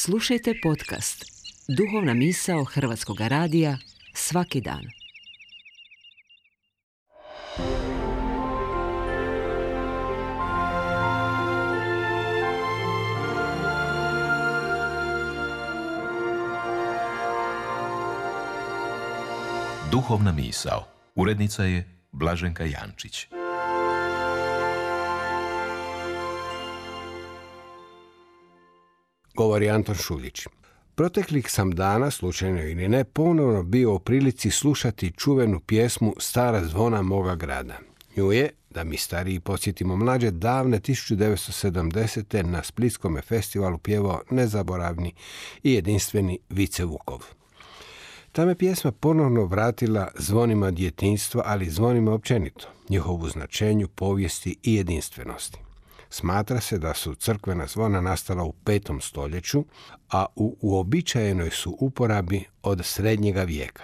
Slušajte podcast Duhovna misao Hrvatskog radija svaki dan. Duhovna misao. Urednica je Blaženka Jančić. Govori Anton Šuljić. Proteklih sam dana, slučajno ili ne, ponovno bio u prilici slušati čuvenu pjesmu Stara zvona moga grada. Nju je, da mi stariji podsjetimo mlađe, davne 1970. na Splitskome festivalu pjevao nezaboravni i jedinstveni Vice Vukov. Ta me pjesma ponovno vratila zvonima djetinjstva, ali zvonima općenito, njihovu značenju, povijesti i jedinstvenosti. Smatra se da su crkvena zvona nastala u 5. stoljeću, a u uobičajenoj su uporabi od srednjega vijeka.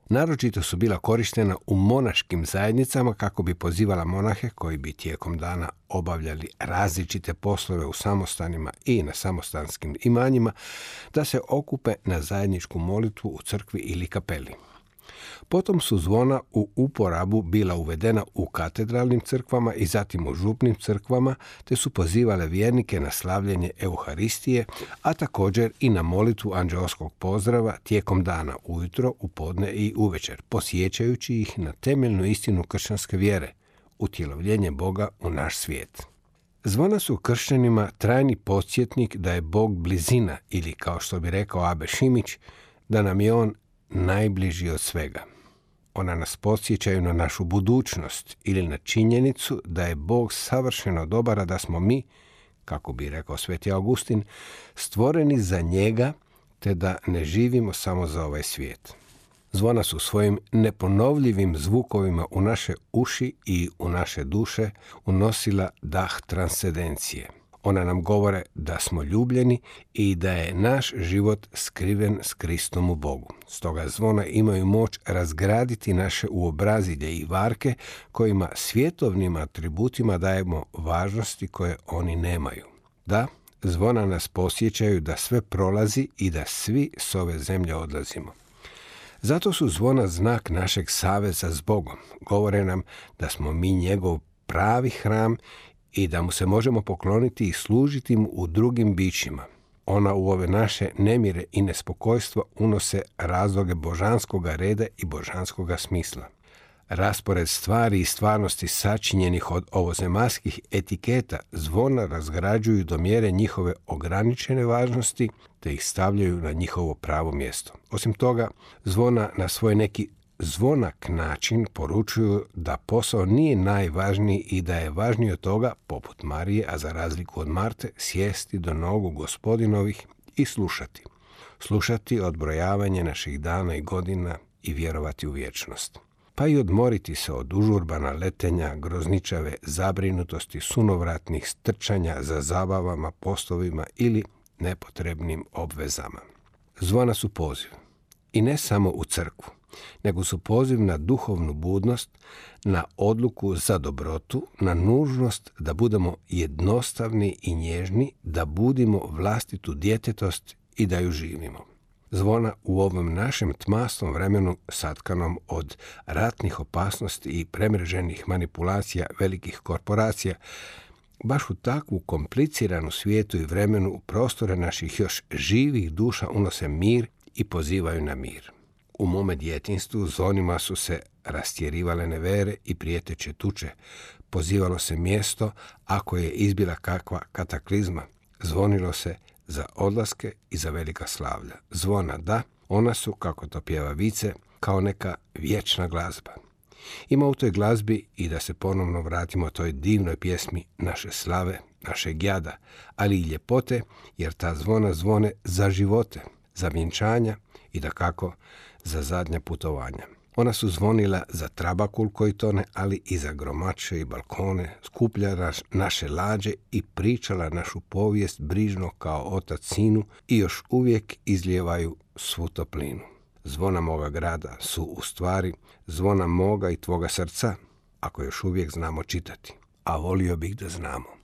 Naročito su bila korištena u monaškim zajednicama kako bi pozivala monahe koji bi tijekom dana obavljali različite poslove u samostanima i na samostanskim imanjima da se okupe na zajedničku molitvu u crkvi ili kapeli. Potom su zvona u uporabu bila uvedena u katedralnim crkvama i zatim u župnim crkvama, te su pozivale vjernike na slavljenje Euharistije, a također i na molitvu anđeoskog pozdrava tijekom dana, ujutro, u podne i uvečer, podsjećajući ih na temeljnu istinu kršćanske vjere, utjelovljenje Boga u naš svijet. Zvona su kršćanima trajni podsjetnik da je Bog blizina ili, kao što bi rekao Abe Šimić, da nam je On najbliži od svega. Ona nas podsjećaju na našu budućnost ili na činjenicu da je Bog savršeno dobar, a da smo mi, kako bi rekao Sveti Augustin, stvoreni za njega, te da ne živimo samo za ovaj svijet. Zvona su svojim neponovljivim zvukovima u naše uši i u naše duše unosila dah transcendencije. Ona nam govore da smo ljubljeni i da je naš život skriven s Kristom u Bogu. Stoga zvona imaju moć razgraditi naše uobrazilje i varke kojima svjetovnim atributima dajemo važnosti koje oni nemaju. Da, zvona nas posjećaju da sve prolazi i da svi s ove zemlje odlazimo. Zato su zvona znak našeg saveza s Bogom. Govore nam da smo mi njegov pravi hram i da mu se možemo pokloniti i služiti mu u drugim bićima. Ona u ove naše nemire i nespokojstva unose razloge božanskoga reda i božanskoga smisla. Raspored stvari i stvarnosti sačinjenih od ovozemaljskih etiketa zvona razgrađuju do mjere njihove ograničene važnosti, te ih stavljaju na njihovo pravo mjesto. Osim toga, zvona na svoj neki zvonak način poručuju da posao nije najvažniji i da je važnije od toga, poput Marije, a za razliku od Marte, sjesti do nogu Gospodinovih i slušati. Slušati odbrojavanje naših dana i godina i vjerovati u vječnost. Pa i odmoriti se od užurbana letenja, grozničave zabrinutosti, sunovratnih strčanja za zabavama, poslovima ili nepotrebnim obvezama. Zvona su poziv. I ne samo u crkvu, nego su poziv na duhovnu budnost, na odluku za dobrotu, na nužnost da budemo jednostavni i nježni, da budimo vlastitu djetetost i da ju živimo. Zvona u ovom našem tmasnom vremenu satkanom od ratnih opasnosti i premreženih manipulacija velikih korporacija, baš u takvu kompliciranu svijetu i vremenu u prostore naših još živih duša unose mir i pozivaju na mir. U mome djetinjstvu zvonima su se rastjerivale nevere i prijeteće tuče. Pozivalo se mjesto ako je izbila kakva kataklizma. Zvonilo se za odlaske i za velika slavlja. Zvona, da, ona su, kako to pjeva Vice, kao neka vječna glazba. Ima u toj glazbi i da se ponovno vratimo toj divnoj pjesmi naše slave, našeg jada, ali i ljepote, jer ta zvona zvone za živote, za vjenčanja i dakako za zadnja putovanja. Ona su zvonila za trabakul koji tone, ali i za gromače i balkone, skupljala naše lađe i pričala našu povijest brižno kao otac sinu i još uvijek izlijevaju svu toplinu. Zvona moga grada su u stvari zvona moga i tvoga srca, ako još uvijek znamo čitati, a volio bih da znamo.